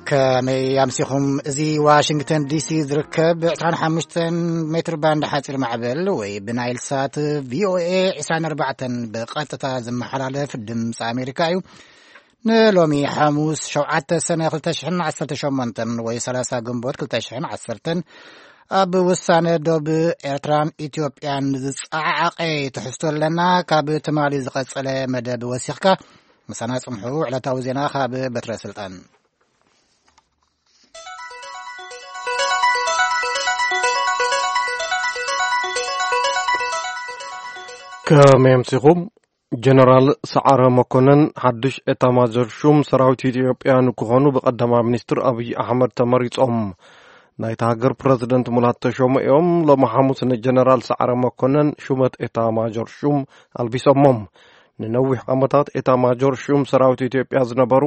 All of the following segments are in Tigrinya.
ከመይ ኣምሲኹም? እዚ ዋሽንግተን ዲሲ ዝርከብ ዕስራን ሓሙሽተን ሜትር ባንድ ሓፂር ማዕበል ወይ ብናይል ሳት ቪኦኤ ዕስራን ኣርባዕተን ብቐጥታ ዝመሓላለፍ ድምፂ ኣሜሪካ እዩ። ንሎሚ ሓሙስ ሸውዓተ ሰነ ክልተ ሽሕን ዓሰርተ ሸሞንተን ወይ ሰላሳ ግንቦት ክልተ ሽሕን ዓሰርተን ኣብ ውሳነ ዶብ ኤርትራን ኢትዮጵያን ዝጸዓዓቐ ትሕዝቶ ኣለና። ካብ ትማሊ ዝቐጸለ መደብ ወሲኽካ ምሳና ጽንሑ። ዕለታዊ ዜና ካብ በትረ ስልጣን። ከመይ ኣምሲኹም? ጀነራል ሰዓረ መኮነን ሓድሽ ኤታማዦር ሹም ሰራዊት ኢትዮጵያ ንክኾኑ ብቀዳማይ ሚኒስትር ኣብይ ኣሕመድ ተመሪጾም። ናይታ ሃገር ፕረዚደንት ሙላት ተሾመ እዮም። ሎሚ ሓሙስ ንጀነራል ሰዓረ መኮነን ሹመት ኤታማዦር ሹም ኣልቢሶሞም። ንነዊሕ ዓመታት ኤታማዦር ሹም ሰራዊት ኢትዮጵያ ዝነበሩ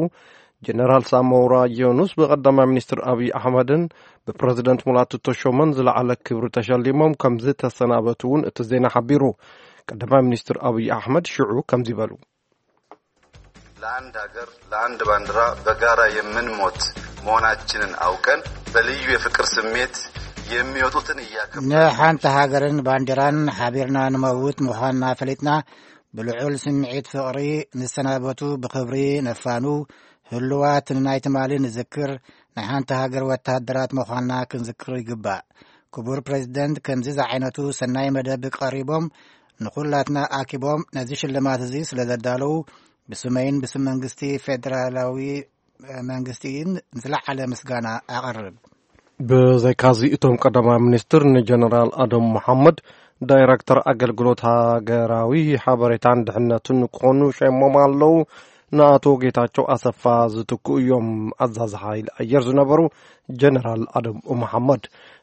ጀነራል ሳሞራ ዮኑስ ብቀዳማይ ሚኒስትር ኣብይ ኣሕመድን ብፕረዚደንት ሙላቱ ተሾመን ዝለዓለ ክብሪ ተሸሊሞም ከም ዝተሰናበቱ እውን እቲ ዜና ሓቢሩ። ቀዳማይ ሚኒስትር ኣብይ ኣሕመድ ሽዑ ከምዚ በሉ። ለአንድ ሀገር፣ ለአንድ ባንዲራ በጋራ የምንሞት መሆናችንን አውቀን በልዩ የፍቅር ስሜት የሚወጡትን እያከበርን ንሓንቲ ሃገርን ባንዲራን ሓቢርና ንመውት ምዃንና ፈሊጥና፣ ብልዑል ስምዒት ፍቕሪ ንሰናበቱ ብኽብሪ ነፋኑ፣ ህሉዋት ንናይ ትማሊ ንዝክር፣ ናይ ሓንቲ ሃገር ወታደራት ምዃንና ክንዝክር ይግባእ። ክቡር ፕሬዚደንት ከምዚ ዝዓይነቱ ሰናይ መደብ ቀሪቦም ንኹላትና ኣኪቦም ነዚ ሽልማት እዚ ስለ ዘዳለዉ ብስመይን ብስም መንግስቲ ፌደራላዊ መንግስቲን ዝለዓለ ምስጋና ኣቐርብ። ብዘይካዚ እቶም ቀዳማይ ሚኒስትር ንጀነራል ኣደም መሓመድ ዳይረክተር ኣገልግሎት ሃገራዊ ሓበሬታን ድሕነትን ክኾኑ ሸይሞም ኣለዉ። ንኣቶ ጌታቸው ኣሰፋ ዝትክኡ እዮም ኣዛዚ ሓይሊ ኣየር ዝነበሩ ጀነራል ኣደም መሓመድ።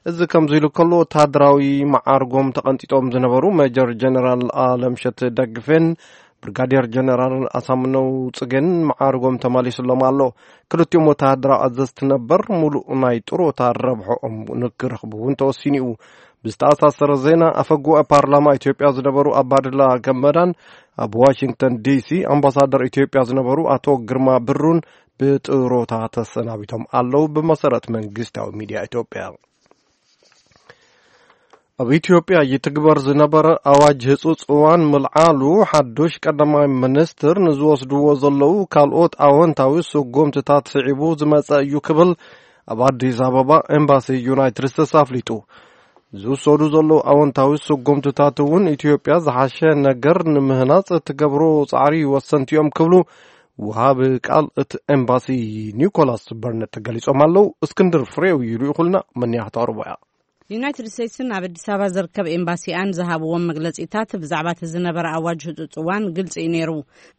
እዚ ከምዚ ኢሉ ከሎ ወታደራዊ መዓርጎም ተቐንጢጦም ዝነበሩ ሜጀር ጀነራል ኣለምሸት ደግፌን ብርጋዴር ጀነራል ኣሳምነው ጽጌን መዓርጎም ተመሊስሎም ኣሎ። ክልቲኦም ወተሃደራዊ ኣዘዝቲ ነበር ሙሉእ ናይ ጥሮታ ረብሖኦም ንክረኽቡ እውን ተወሲኑ እዩ። ብዝተኣሳሰረ ዜና ኣፈ ጉባኤ ፓርላማ ኢትዮጵያ ዝነበሩ ኣባድላ ገመዳን ኣብ ዋሽንግተን ዲሲ ኣምባሳደር ኢትዮጵያ ዝነበሩ ኣቶ ግርማ ብሩን ብጥሮታ ተሰናቢቶም ኣለዉ። ብመሰረት መንግስታዊ ሚድያ ኢትዮጵያ ኣብ ኢትዮጵያ ይትግበር ዝነበረ ኣዋጅ ህጹጽ እዋን ምልዓሉ ሓዱሽ ቀዳማይ ሚኒስትር ንዝወስድዎ ዘለዉ ካልኦት ኣወንታዊ ስጉምትታት ስዒቡ ዝመጸ እዩ ክብል ኣብ ኣዲስ ኣበባ ኤምባሲ ዩናይትድ ስቴትስ ኣፍሊጡ። ዝውሰዱ ዘለዉ ኣወንታዊ ስጉምትታት እውን ኢትዮጵያ ዝሓሸ ነገር ንምህናጽ እትገብሮ ጻዕሪ ወሰንቲ እዮም ክብሉ ወሃቢ ቃል እቲ ኤምባሲ ኒኮላስ በርነት ተገሊጾም ኣለዉ። እስክንድር ፍሬው እዩ ልኢኹልና፣ መን እያ ክተቕርቦ እያ። ዩናይትድ ስቴትስን ኣብ ኣዲስ ኣበባ ዝርከብ ኤምባሲኣን ዝሃብዎም መግለጺታት ብዛዕባ እቲ ዝነበረ ኣዋጅ ህጹጽ እዋን ግልጺ እዩ ነይሩ።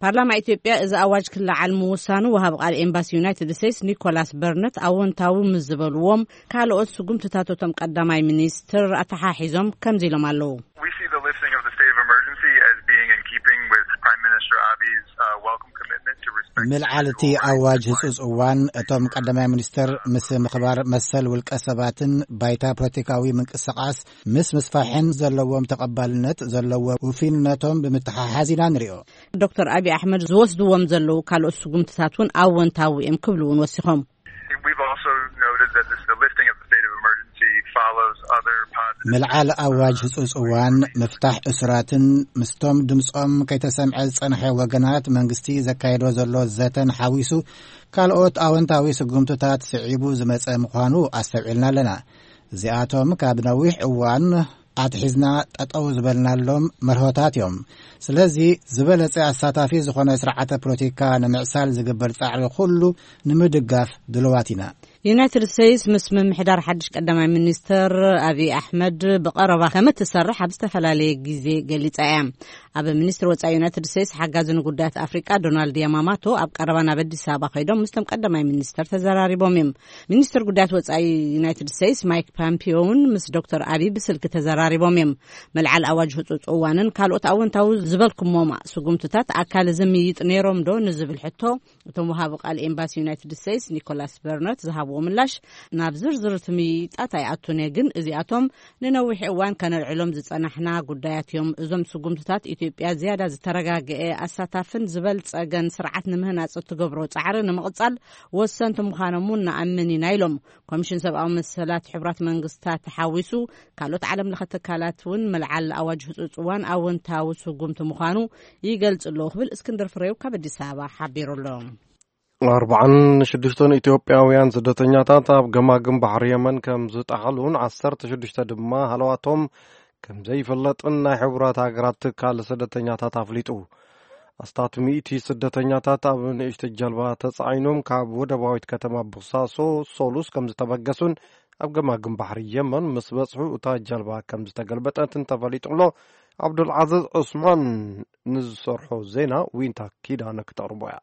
ፓርላማ ኢትዮጵያ እዚ ኣዋጅ ክለዓል ምውሳኑ ወሃቢ ቃል ኤምባሲ ዩናይትድ ስቴትስ ኒኮላስ በርነት ኣወንታዊ ምስ ዝበልዎም ካልኦት ስጉምትታት እቶም ቀዳማይ ሚኒስትር ኣተሓሒዞም ከምዚ ኢሎም ኣለዉ። We see the lifting of the state of emergency as being in keeping with Prime Minister Abi's uh, welcome commitment to respect ምልዓል እቲ ኣዋጅ ህጹጽ እዋን እቶም ቀዳማይ ሚኒስትር ምስ ምኽባር መሰል ውልቀ ሰባትን ባይታ ፖለቲካዊ ምንቅስቃስ ምስ ምስፋሕን ዘለዎም ተቐባልነት ዘለዎ ውፊንነቶም ብምትሓሓዝ ኢና ንሪኦ። ዶክተር ኣብይ ኣሕመድ ዝወስድዎም ዘለዉ ካልኦት ስጉምትታት እውን ኣወንታዊ እዮም ክብሉ እውን ወሲኾም። We've also noted that this, the lifting of the state of emergency follows other positive ምልዓል ኣዋጅ ህጹጽ እዋን፣ ምፍታሕ እሱራትን ምስቶም ድምጾም ከይተሰምዐ ዝጸንሐ ወገናት መንግስቲ ዘካየዶ ዘሎ ዘተን ሓዊሱ ካልኦት ኣወንታዊ ስጉምትታት ስዒቡ ዝመጸ ምዃኑ ኣስተውዒልና ኣለና። እዚኣቶም ካብ ነዊሕ እዋን ኣትሒዝና ጠጠው ዝበልናሎም መርሆታት እዮም። ስለዚ ዝበለጸ ኣሳታፊ ዝኾነ ስርዓተ ፖለቲካ ንምዕሳል ዝግበር ጻዕሪ ኩሉ ንምድጋፍ ድልዋት ኢና። ዩናይትድ ስቴትስ ምስ ምምሕዳር ሓድሽ ቀዳማይ ሚኒስትር ኣብይ ኣሕመድ ብቐረባ ከም እትሰርሕ ኣብ ዝተፈላለየ ግዜ ገሊጻ እያ። ኣብ ሚኒስትር ወጻኢ ዩናይትድ ስቴትስ ሓጋዚ ንጉዳያት ኣፍሪቃ ዶናልድ ያማማቶ ኣብ ቀረባ ናብ ኣዲስ ኣበባ ከይዶም ምስቶም ቀዳማይ ሚኒስትር ተዘራሪቦም እዮም። ሚኒስትር ጉዳያት ወጻኢ ዩናይትድ ስቴትስ ማይክ ፖምፒዮ እውን ምስ ዶክተር ኣብይ ብስልኪ ተዘራሪቦም እዮም። መልዓል ኣዋጅ ህጹጽ እዋንን ካልኦት ኣወንታዊ ዝበልኩሞም ስጉምትታት ኣካል እዚ ምይይጥ ነይሮም ዶ ንዝብል ሕቶ እቶም ወሃቢ ቃል ኤምባሲ ዩናይትድ ስቴትስ ኒኮላስ በርነት ዝሃብዎ ምላሽ፣ ናብ ዝርዝር እቲ ምይይጣት ኣይኣቱን እየ፣ ግን እዚኣቶም ንነዊሕ እዋን ከነልዕሎም ዝጸናሕና ጉዳያት እዮም። እዞም ስጉምትታት ኢትዮጵያ ዝያዳ ዝተረጋገአ፣ ኣሳታፍን ዝበልጸገን ስርዓት ንምህናጽ እትገብሮ ጻዕሪ ንምቕጻል ወሰንቲ ምዃኖም እውን ንኣምን ኢና ኢሎም። ኮሚሽን ሰብኣዊ መሰላት ሕቡራት መንግስታት ተሓዊሱ ካልኦት ዓለም ለኸ ትካላት እውን ምልዓል ኣዋጅ ህጹጽ እዋን ኣወንታዊ ስጉምቲ ምዃኑ ይገልጽ ኣለዉ ክብል እስክንድር ፍሬው ካብ ኣዲስ ኣበባ ሓቢሩ ኣሎ። ኣርባዓን ሽዱሽተን ኢትዮጵያውያን ስደተኛታት ኣብ ገማግም ባሕሪ የመን ከም ዝጠሓሉን ዓሰርተ ሽዱሽተ ድማ ሃለዋቶም ከም ዘይፍለጥን ናይ ሕቡራት ሃገራት ትካል ስደተኛታት ኣፍሊጡ። ኣስታት ሚእቲ ስደተኛታት ኣብ ንእሽቶ ጀልባ ተጻዒኖም ካብ ወደባዊት ከተማ ቦሳሶ ሶሉስ ከም ዝተበገሱን ኣብ ገማግም ባሕሪ የመን ምስ በጽሑ እታ ጀልባ ከም ዝተገልበጠትን ተፈሊጡ ኣሎ። ዓብዱልዓዝዝ ዑስማን ንዝሰርሖ ዜና ዊንታ ኪዳነ ክተቕርቦ እያ።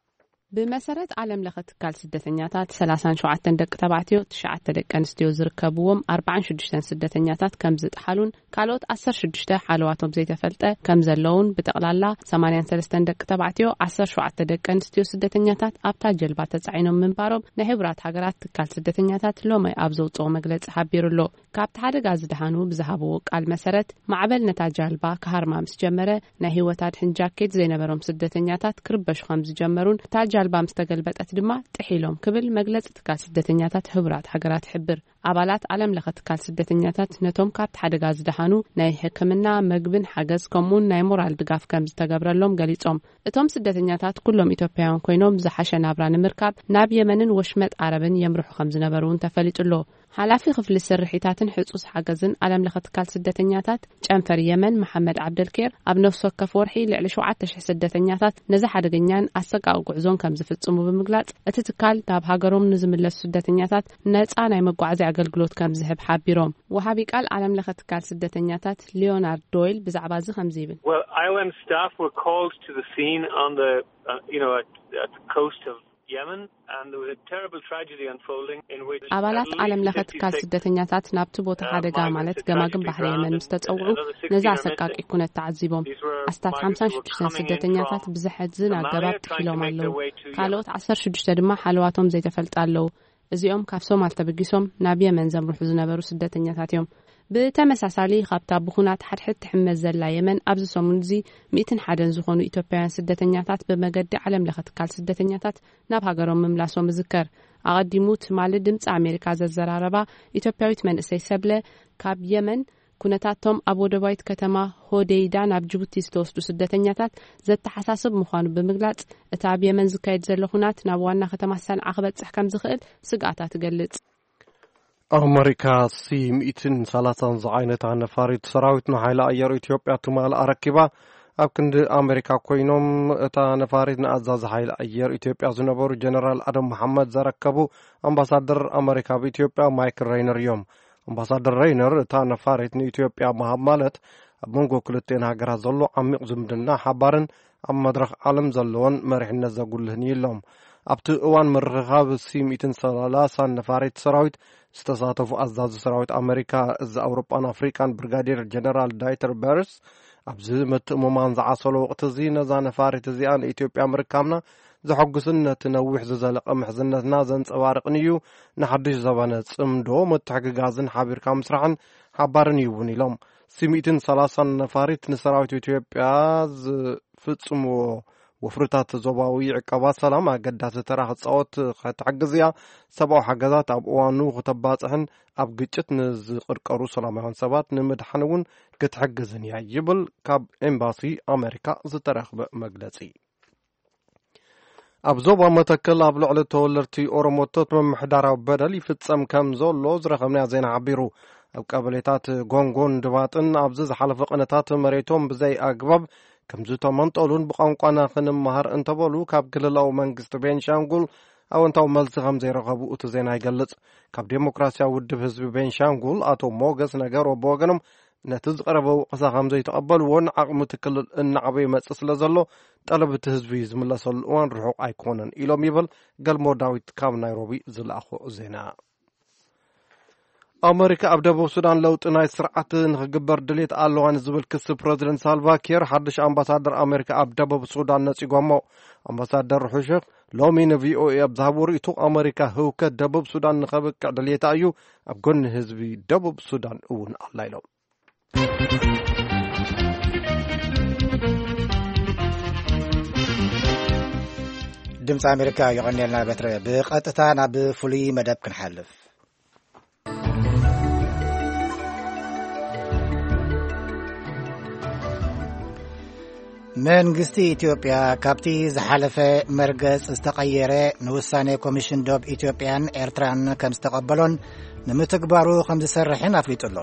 ብመሰረት ዓለም ለኸ ትካል ስደተኛታት፣ ሰላሳን ሸውዓተን ደቂ ተባዕትዮ፣ ትሽዓተ ደቂ ኣንስትዮ ዝርከብዎም ኣርባዓን ሽዱሽተን ስደተኛታት ከም ዝጠሓሉን ካልኦት ዓሰርተ ሽዱሽተ ሓለዋቶም ዘይተፈልጠ ከም ዘለውን፣ ብጠቕላላ ሰማንያን ሰለስተን ደቂ ተባዕትዮ፣ ዓሰርተ ሸውዓተ ደቂ ኣንስትዮ ስደተኛታት ኣብታ ጀልባ ተጻዒኖም ምንባሮም ናይ ሕቡራት ሃገራት ትካል ስደተኛታት ሎሚ ኣብ ዘውጽኦ መግለጺ ሓቢሩ ኣሎ። ካብቲ ሓደጋ ዝደሓኑ ብዝሃብዎ ቃል መሰረት፣ ማዕበል ነታ ጃልባ ክሃርማ ምስ ጀመረ፣ ናይ ህይወት ኣድሕን ጃኬት ዘይነበሮም ስደተኛታት ክርበሹ ከም ዝጀመሩን፣ እታ ጃልባ ምስ ተገልበጠት ድማ ጥሒሎም ክብል መግለጺ ትካል ስደተኛታት ህቡራት ሃገራት ይሕብር። ኣባላት ዓለም ለኸ ትካል ስደተኛታት ነቶም ካብቲ ሓደጋ ዝደሓኑ ናይ ሕክምና፣ መግብን ሓገዝ፣ ከምኡውን ናይ ሞራል ድጋፍ ከም ዝተገብረሎም ገሊጾም። እቶም ስደተኛታት ኩሎም ኢትዮጵያውያን ኮይኖም፣ ዝሓሸ ናብራ ንምርካብ ናብ የመንን ወሽመጥ ዓረብን የምርሑ ከም ዝነበሩ እውን ተፈሊጡ ኣሎ። ሓላፊ ክፍሊ ስርሒታትን ሕጹስ ሓገዝን ዓለም ለኸ ትካል ስደተኛታት ጨንፈር የመን መሓመድ ዓብደልኬር፣ ኣብ ነፍሲ ወከፍ ወርሒ ልዕሊ ሸውዓተ ሽሕ ስደተኛታት ነዚ ሓደገኛን ኣሰቃቂ ጉዕዞን ከም ዝፍጽሙ ብምግላጽ፣ እቲ ትካል ናብ ሃገሮም ንዝምለሱ ስደተኛታት ነጻ ናይ መጓዓዝያ ኣገልግሎት ከም ዝህብ ሓቢሮም። ወሃቢ ቃል ዓለም ለኸ ትካል ስደተኛታት ሊዮናርድ ዶይል ብዛዕባ እዚ ከምዚ ይብል። Well, I O M staff were called to the scene on the, uh, you know, at, at the coast of Yemen, and there was a terrible tragedy unfolding in which ኣባላት ዓለም ለኸ ትካል ስደተኛታት ናብቲ ቦታ ሓደጋ ማለት ገማግም ባሕሪ የመን ምስ ተጸውዑ፣ ነዚ ኣሰቃቂ ኩነት ተዓዚቦም። ኣስታት ሓምሳን ሽዱሽተን ስደተኛታት ብዘሕዝን ኣገባብ ጥሒሎም ኣለዉ። ካልኦት ዓሰርተ ሽዱሽተ ድማ ሓለዋቶም ዘይተፈልጠ ኣለዉ። እዚኦም ካብ ሶማል ተበጊሶም ናብ የመን ዘምርሑ ዝነበሩ ስደተኛታት እዮም። ብተመሳሳሊ፣ ካብታ ብኹናት ሓድሕድ ትሕመስ ዘላ የመን፣ ኣብዚ ሰሙን እዚ ሚእትን ሓደን ዝኾኑ ኢትዮጵያውያን ስደተኛታት ብመገዲ ዓለም ለኸ ትካል ስደተኛታት ናብ ሃገሮም ምምላሶም ይዝከር። ኣቐዲሙ ትማሊ ድምፂ ኣሜሪካ ዘዘራረባ ኢትዮጵያዊት መንእሰይ ሰብለ፣ ካብ የመን ኩነታቶም ኣብ ወደባዊት ከተማ ሆዴይዳ ናብ ጅቡቲ ዝተወስዱ ስደተኛታት ዘተሓሳስብ ምዃኑ ብምግላጽ፣ እቲ ኣብ የመን ዝካየድ ዘሎ ኩናት ናብ ዋና ከተማ ሰንዓ ክበጽሕ ከም ዝኽእል ስግኣታ ትገልጽ። ኣመሪካ ሲ ሚእትን ሰላሳን ዝዓይነታ ነፋሪት ሰራዊት ንሓይሊ ኣየር ኢትዮጵያ ትማሊ ኣረኪባ። ኣብ ክንዲ ኣመሪካ ኮይኖም፣ እታ ነፋሪት ንኣዛዚ ሓይሊ ኣየር ኢትዮጵያ ዝነበሩ ጀነራል ኣደም መሓመድ ዘረከቡ ኣምባሳደር ኣመሪካ ኣብ ኢትዮጵያ ማይክል ሬይነር እዮም። ኣምባሳደር ሬይነር፣ እታ ነፋሪት ንኢትዮጵያ ምሃብ ማለት ኣብ መንጎ ክልቲኤን ሃገራት ዘሎ ዓሚቕ ዝምድና ሓባርን ኣብ መድረኽ ዓለም ዘለዎን መሪሕነት ዘጉልህን እዩ ኢሎም። ኣብቲ እዋን ምርኽኻብ ሲ ሚእትን ሰላሳን ነፋሪት ሰራዊት ዝተሳተፉ ኣዛዚ ሰራዊት ኣመሪካ፣ እዚ ኣውሮጳን ኣፍሪቃን ብርጋዴር ጀነራል ዳይተር በርስ፣ ኣብዚ ምትእምማን ዝዓሰሎ ወቕቲ እዚ፣ ነዛ ነፋሪት እዚኣ ንኢትዮጵያ ምርካብና ዘሐጉስን ነቲ ነዊሕ ዝዘለቐ ምሕዝነትና ዘንጸባርቕን እዩ። ንሓድሽ ዘበነ ጽምዶ፣ ምትሕግጋዝን ሓቢርካ ምስራሕን ሓባርን እዩ እውን ኢሎም። ሲ ሚእትን ሰላሳን ነፋሪት ንሰራዊት ኢትዮጵያ ዝፍጽምዎ ወፍርታት ዞባዊ ዕቀባ ሰላም ኣገዳሲ ተራ ክጻወት ክትሕግዝ እያ። ሰብኣዊ ሓገዛት ኣብ እዋኑ ክተባጽሕን ኣብ ግጭት ንዝቕርቀሩ ሰላማውያን ሰባት ንምድሓን እውን ክትሕግዝን እያ ይብል ካብ ኤምባሲ ኣመሪካ ዝተረኽበ መግለጺ። ኣብ ዞባ መተከል ኣብ ልዕሊ ተወለድቲ ኦሮሞቶት ምምሕዳራዊ በደል ይፍጸም ከም ዘሎ ዝረኸብናዮ ዜና ሓቢሩ። ኣብ ቀበሌታት ጎንጎን ድባጥን ኣብዚ ዝሓለፈ ቅነታት መሬቶም ብዘይ ኣግባብ ከም ዝተመንጠሉን ብቋንቋና ክንመሃር እንተበሉ ካብ ክልላዊ መንግስቲ ቤንሻንጉል ኣወንታዊ መልሲ ከም ዘይረኸቡ እቲ ዜና ይገልጽ። ካብ ዴሞክራሲያዊ ውድብ ህዝቢ ቤንሻንጉል ኣቶ ሞገስ ነገሮ ብወገኖም ነቲ ዝቐረበ ወቐሳ ከም ዘይተቐበልዎን ዓቕሚ እቲ ክልል እናዓበየ ይመጽእ ስለ ዘሎ፣ ጠለብ እቲ ህዝቢ ዝምለሰሉ እዋን ርሑቕ ኣይኮነን ኢሎም ይብል ገልሞ ዳዊት ካብ ናይሮቢ ዝለኣኾ ዜና። ኣመሪካ ኣብ ደቡብ ሱዳን ለውጢ ናይ ስርዓት ንኽግበር ድሌት ኣለዋ ንዝብል ክሲ ፕረዚደንት ሳልቫ ኪር ሓድሽ ኣምባሳደር ኣመሪካ ኣብ ደቡብ ሱዳን ነጺጎሞ። ኣምባሳደር ሑሸክ ሎሚ ንቪኦኤ ኣብ ዝሃቦ ርእይቶ፣ ኣመሪካ ህውከት ደቡብ ሱዳን ንኸብቅዕ ድሌታ እዩ፣ ኣብ ጎኒ ህዝቢ ደቡብ ሱዳን እውን ኣላ ኢሎም። ድምፂ ኣሜሪካ፣ የቐንየልና በትረ። ብቐጥታ ናብ ፍሉይ መደብ ክንሓልፍ። መንግስቲ ኢትዮጵያ ካብቲ ዝሓለፈ መርገጽ ዝተቐየረ ንውሳኔ ኮሚሽን ዶብ ኢትዮጵያን ኤርትራን ከም ዝተቐበሎን ንምትግባሩ ከም ዝሰርሕን ኣፍሊጡ ኣሎ።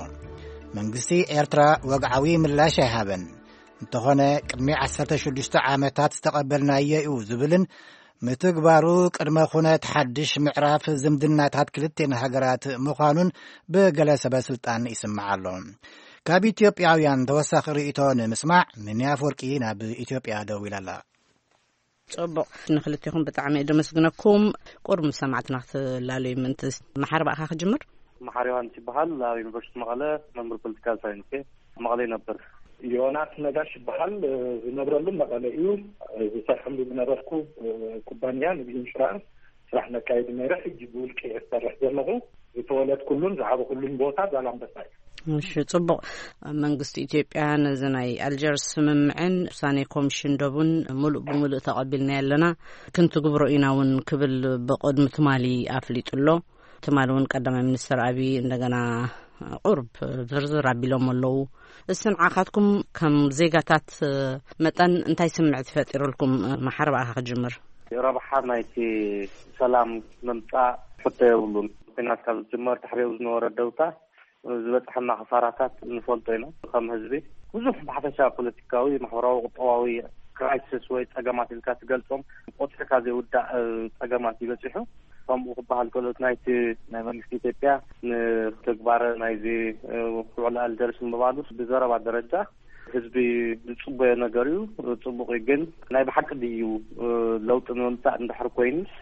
መንግስቲ ኤርትራ ወግዓዊ ምላሽ ኣይሃበን። እንተኾነ፣ ቅድሚ ዓሰርተ ሽዱሽተ ዓመታት ዝተቐበልናዮ እዩ ዝብልን ምትግባሩ ቅድመ ኩነት ሓድሽ ምዕራፍ ዝምድናታት ክልቴን ሃገራት ምዃኑን ብገለ ሰበ ስልጣን ይስማዕ ኣሎ። ካብ ኢትዮጵያውያን ተወሳኺ ርእይቶ ንምስማዕ፣ ሚኒ ኣፈወርቂ ናብ ኢትዮጵያ ደዊላ ኣላ። ጽቡቕ፣ ንክልቴኹም ብጣዕሚ እየ ደመስግነኩም። ቁሩብ ምስ ሰማዕትና ክትላለዩ ምእንቲ፣ መሓሪ ብኣኻ ክጅምር። መሓሪ ዮሃንስ ይበሃል። ኣብ ዩኒቨርሲቲ መቐለ መምህር ፖለቲካል ሳይንስ እየ። መቐለ ይነብር። ዮናስ ነጋሽ ይበሃል። ዝነብረሉ መቐለ እዩ። ዝሰርሐሉ ዝነበርኩ ኩባንያ ንብ ኢንሹራንስ ስራሕ ነካይድ ነይረ። ሕጂ ብውልቂ እየ ዝሰርሕ ዘለኹ። ዝተወለድኩሉን ዝዓበኹሉን ቦታ ዛላምበሳ እዩ። እሺ፣ ጽቡቕ። መንግስቲ ኢትዮጵያ ነዚ ናይ ኣልጀርስ ስምምዕን ውሳኔ ኮሚሽን ዶብን ምሉእ ብምሉእ ተቐቢልና ኣለና፣ ክንትግብሮ ኢና እውን ክብል ብቕድሚ ትማሊ ኣፍሊጡ ኣሎ። ትማሊ እውን ቀዳማይ ሚኒስትር ኣብይ እንደገና ቁርብ ዝርዝር ኣቢሎም ኣለዉ። እስ ንዓኻትኩም ከም ዜጋታት መጠን እንታይ ስምዕት ፈጢሩልኩም? መሓር ብኣኻ ክጅምር። ረብሓ ናይቲ ሰላም ምምጻእ ሕቶ የብሉን። ኩናት ካብ ዝጅመር ድሕሪኡ ዝነበረ ደውታ ዝበጽሐና ክሳራታት ንፈልጦ ኢና። ከም ህዝቢ ብዙሕ ብሓፈሻ ፖለቲካዊ፣ ማሕበራዊ፣ ቁጠባዊ ክራይሲስ ወይ ጸገማት ኢልካ ትገልጾም ቆጽርካ ዘይውዳእ ጸገማት ይበጽሑ። ከምኡ ክበሃል ከሎ፣ ናይቲ ናይ መንግስቲ ኢትዮጵያ ንተግባረ ናይዚ ውዕል ኣልጀርስ ምባሉስ ብዘረባ ደረጃ ህዝቢ ዝጽበዮ ነገር እዩ፣ ጽቡቕ እዩ። ግን ናይ ብሓቂ ድዩ ለውጢ ንምምጻእ እንድሕር ኮይኑስ፣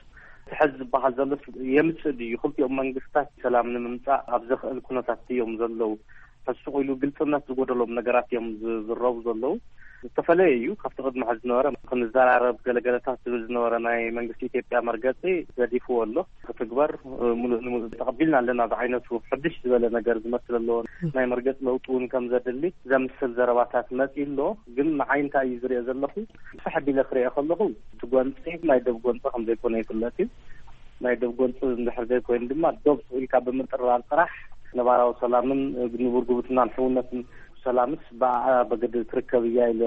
እቲ ሕዚ ዝበሃል ዘሎ የምጽእ ድዩ? ክልቲኦም መንግስታት ሰላም ንምምጻእ ኣብ ዘኽእል ኩነታት እዮም ዘለዉ። ሕሱቕ ኢሉ ግልጽነት ዝጎደሎም ነገራት እዮም ዝዝረቡ ዘለዉ። ዝተፈለየ እዩ ካብቲ ቅድሚ ሕዚ ዝነበረ። ክንዘራረብ ገለገለታት ዝብል ዝነበረ ናይ መንግስቲ ኢትዮጵያ መርገጺ ገዲፍዎ ኣሎ። ክትግበር፣ እ፣ ምሉእ ንምሉእ ተቐቢልና ኣለና ዝዓይነቱ ሕድሽ ዝበለ ነገር ዝመስል ኣለዎ። ናይ መርገጺ ለውጢ እውን ከም ዘድሊ ዘምስል ዘረባታት መጺኡ ኣሎ። ግን ንዓይ እንታይ እዩ ዝሪኦ ዘለኹ? ፍሕ ኣቢለ ክሪኦ ከለኹ፣ እቲ ጎንጺ ናይ ደብ ጎንጺ ከም ዘይኮነ ይፍለጥ እዩ። ናይ ደብ ጎንጺ እንድሕር ዘይኮይኑ ድማ፣ ዶብ ስቕ ኢልካ ብምጥርራር ጥራሕ ነባራዊ ሰላምን ንቡር ጉብትናን ሕውነትን ሰላምስ ብኣ በገዲ ትርከብ እያ ኢለ